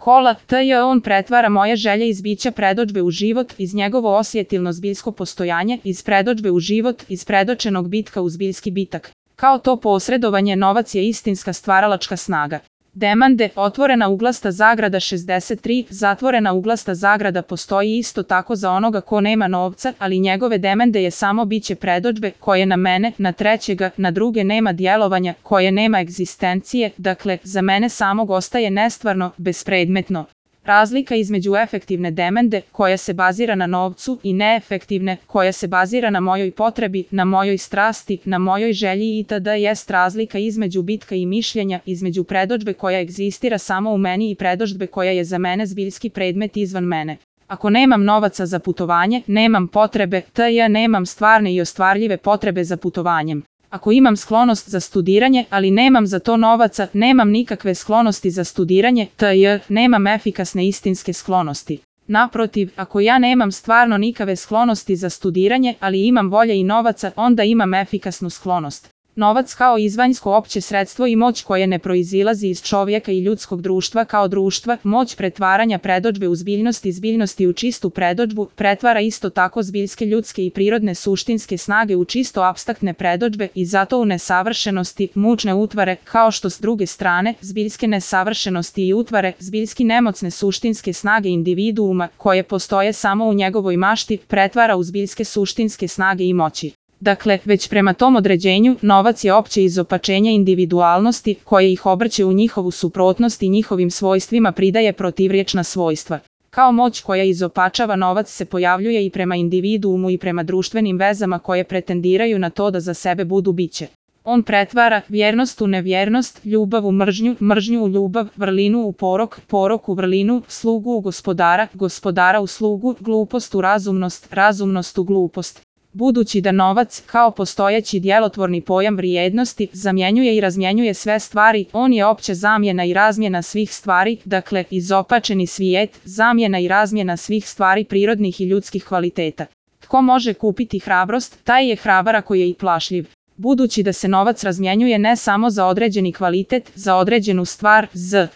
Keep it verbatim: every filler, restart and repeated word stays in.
kola, tj. on pretvara moje želje iz bića predodžbe u život, iz njegovo osjetilno zbiljsko postojanje, iz predodžbe u život, iz predočenog bitka u zbiljski bitak. Kao to posredovanje novac je istinska stvaralačka snaga. Demande, otvorena uglasta zagrada šezdeset tri, zatvorena uglasta zagrada postoji isto tako za onoga ko nema novca, ali njegove demande je samo biće predodžbe, koje na mene, na trećega, na druge nema djelovanja, koje nema egzistencije, dakle, za mene samog ostaje nestvarno, bespredmetno. Razlika između efektivne demande, koja se bazira na novcu, i neefektivne, koja se bazira na mojoj potrebi, na mojoj strasti, na mojoj želji itd. jest razlika između bitka i mišljenja, između predodžbe koja egzistira samo u meni i predodžbe koja je za mene zbiljski predmet izvan mene. Ako nemam novaca za putovanje, nemam potrebe, tj. nemam stvarne i ostvarljive potrebe za putovanjem. Ako imam sklonost za studiranje, ali nemam za to novaca, nemam nikakve sklonosti za studiranje, tj. nemam efikasne istinske sklonosti. Naprotiv, ako ja nemam stvarno nikave sklonosti za studiranje, ali imam volje i novaca, onda imam efikasnu sklonost. Novac kao izvanjsko opće sredstvo i moć koje ne proizilazi iz čovjeka i ljudskog društva kao društva, moć pretvaranja predodžbe u zbiljnost i zbiljnosti u čistu predodžbu, pretvara isto tako zbiljske ljudske i prirodne suštinske snage u čisto apstraktne predodžbe i zato u nesavršenosti, mučne utvare, kao što s druge strane, zbiljske nesavršenosti i utvare, zbiljski nemocne suštinske snage individuuma, koje postoje samo u njegovoj mašti, pretvara u zbiljske suštinske snage i moći. Dakle, već prema tom određenju, novac je opće izopačenje individualnosti, koje ih obrće u njihovu suprotnost i njihovim svojstvima pridaje protivriječna svojstva. Kao moć koja izopačava novac se pojavljuje i prema individuumu i prema društvenim vezama koje pretendiraju na to da za sebe budu biće. On pretvara vjernost u nevjernost, ljubav u mržnju, mržnju u ljubav, vrlinu u porok, porok u vrlinu, slugu u gospodara, gospodara u slugu, glupost u razumnost, razumnost u glupost. Budući da novac, kao postojeći djelotvorni pojam vrijednosti, zamjenjuje i razmjenjuje sve stvari, on je opća zamjena i razmjena svih stvari, dakle, izopačeni svijet, zamjena i razmjena svih stvari prirodnih i ljudskih kvaliteta. Tko može kupiti hrabrost, taj je hrabar ako je i plašljiv. Budući da se novac razmjenjuje ne samo za određeni kvalitet, za određenu stvar, z.